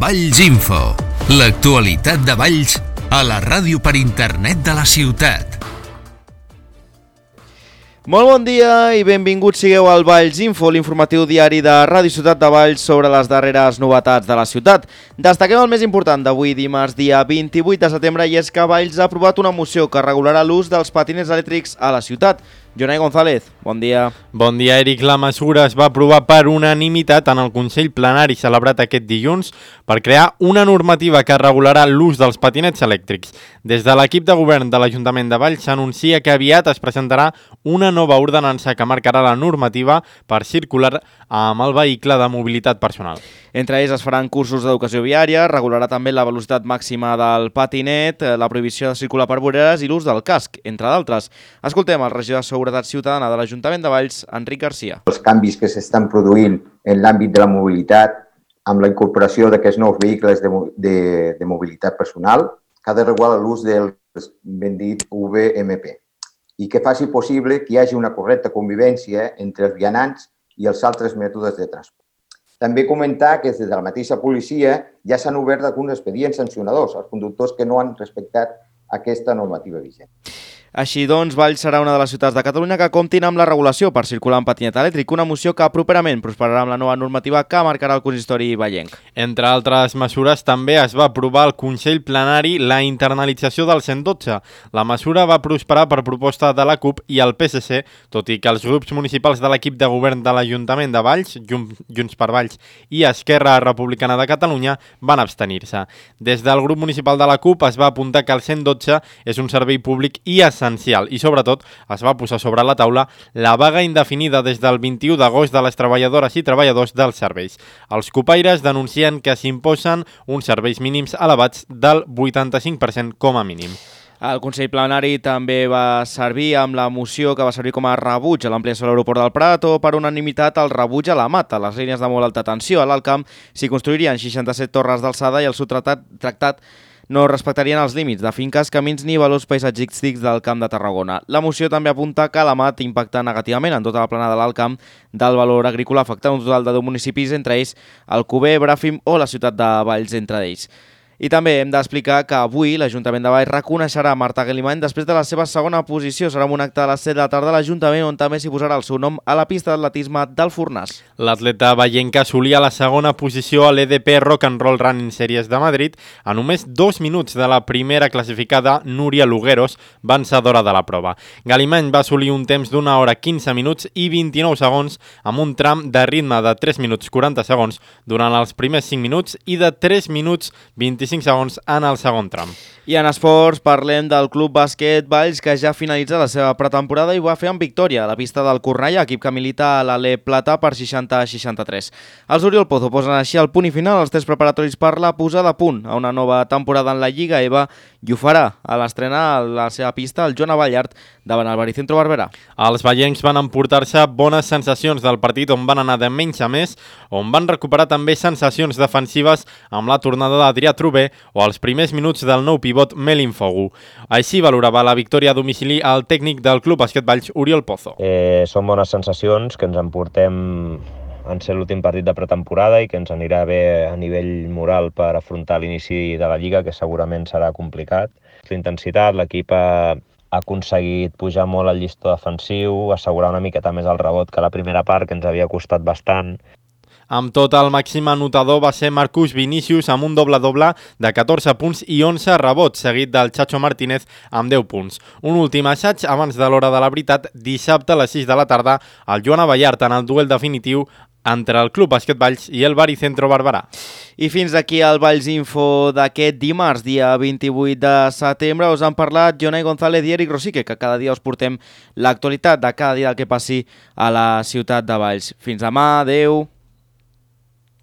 Valls Info, l'actualitat de Valls a la ràdio per internet de la ciutat. Molt bon dia i benvinguts sigueu al Valls Info, l'informatiu diari de Ràdio Ciutat de Valls sobre les darreres novetats de la ciutat. Destaquem el més important d'avui, dimarts, dia 28 de setembre, i és que Valls ha aprovat una moció que regularà l'ús dels patinets elèctrics a la ciutat. Jonai González, bon dia. Bon dia, Eric. La mesura es va aprovar per unanimitat en el Consell Plenari celebrat aquest dilluns per crear una normativa que regularà l'ús dels patinets elèctrics. Des de l'equip de govern de l'Ajuntament de Valls s'anuncia que aviat es presentarà una nova ordenança que marcarà la normativa per circular amb el vehicle de mobilitat personal. Entre ells es faran cursos d'educació viària, regularà també la velocitat màxima del patinet, la prohibició de circular per voreres i l'ús del casc, entre d'altres. Escoltem el regidor de Seguretat Ciutadana de l'Ajuntament de Valls, Enric Garcia. Els canvis que s'estan produint en l'àmbit de la mobilitat, amb la incorporació d'aquests nous vehicles de mobilitat personal, que ha de regular l'ús del ben dit VMP i que faci possible que hi hagi una correcta convivència entre els vianants i els altres mètodes de transport. També comentar que des de la mateixa policia ja s'han obert alguns expedients sancionadors als conductors que no han respectat aquesta normativa vigent. Així doncs, Valls serà una de les ciutats de Catalunya que comptin amb la regulació per circular en patinet elèctric, una moció que properament prosperarà amb la nova normativa que marcarà el consistori vallenc. Entre altres mesures, també es va aprovar al Consell Plenari la internalització del 112. La mesura va prosperar per proposta de la CUP i el PSC, tot i que els grups municipals de l'equip de govern de l'Ajuntament de Valls, Junts per Valls i Esquerra Republicana de Catalunya van abstenir-se. Des del grup municipal de la CUP es va apuntar que el 112 és un servei públic i essencial i, sobretot, es va posar sobre la taula la vaga indefinida des del 21 d'agost de les treballadores i treballadors dels serveis. Els copaires denuncien que s'imposen uns serveis mínims elevats del 85% com a mínim. El Consell Plenari també va servir amb la moció que va servir com a rebuig a l'ampliació de l'aeroport del Prat o per unanimitat el rebuig a la Mata. Les línies de molt alta tensió a l'Alt Camp s'hi construirien 67 torres d'alçada i el seu tractat no respectarien els límits de finques, camins ni valors paisatgístics del Camp de Tarragona. La moció també apunta que la MAT impacta negativament en tota la plana de l'Alt Camp del valor agrícola, afectant un total de 10 municipis, entre ells Alcover, Bràfim o la ciutat de Valls, entre ells. I també hem d'explicar que avui l'Ajuntament de Valls reconeixerà Marta Guilimany després de la seva segona posició. Serà un acte a les 7 de la tarda a l'Ajuntament on també s'hi posarà el seu nom a la pista d'atletisme del Fornàs. L'atleta vallenca assolia la segona posició a l'EDP Rock and Roll Running Series de Madrid a només 2 minuts de la primera classificada Núria Lugueros, vencedora de la prova. Guilimany va assolir un temps d'1 hora 15 minuts i 29 segons amb un tram de ritme de 3 minuts 40 segons durant els primers 5 minuts i de 3 minuts 25 segons en el segon tram. I en esports parlem del Club Bàsquet Valls, que ja finalitza la seva pretemporada i ho va fer amb victòria a la pista del Cornellà, equip que milita a l'Ale Plata per 60-63. Els Oriol Pozo posen així el punt i final als tests preparatoris per la posada a punt a una nova temporada en la Lliga EVA i ho farà a l'estrena a la seva pista el Joan Avallart davant el Baricentro Barberà. Els vallencs van emportar-se bones sensacions del partit on van anar de menys a més, on van recuperar també sensacions defensives amb la tornada d'Adrià Trubé o els primers minuts del nou pivot Melin Fogu. Així valorava la victòria a domicili el tècnic del Club Bàsquet Valls, Oriol Pozo. Són bones sensacions que ens emportem en ser l'últim partit de pretemporada i que ens anirà bé a nivell moral per afrontar l'inici de la Lliga, que segurament serà complicat. L'intensitat, l'equip ha aconseguit pujar molt al llistó defensiu, assegurar una miqueta més el rebot que la primera part, que ens havia costat bastant. Amb tot, el màxim anotador va ser Marcus Vinícius amb un doble-doble de 14 punts i 11 rebots, seguit del Chacho Martínez amb 10 punts. Un últim assaig abans de l'hora de la veritat, dissabte a les 6 de la tarda, el Joan Avallart en el duel definitiu entre el Club Bàsquet Valls i el Baricentro Barberà. I fins aquí el Valls Info d'aquest dimarts, dia 28 de setembre. Us han parlat Jonai González i Eric Rosique, que cada dia us portem l'actualitat de cada dia del que passi a la ciutat de Valls. Fins demà, adeu!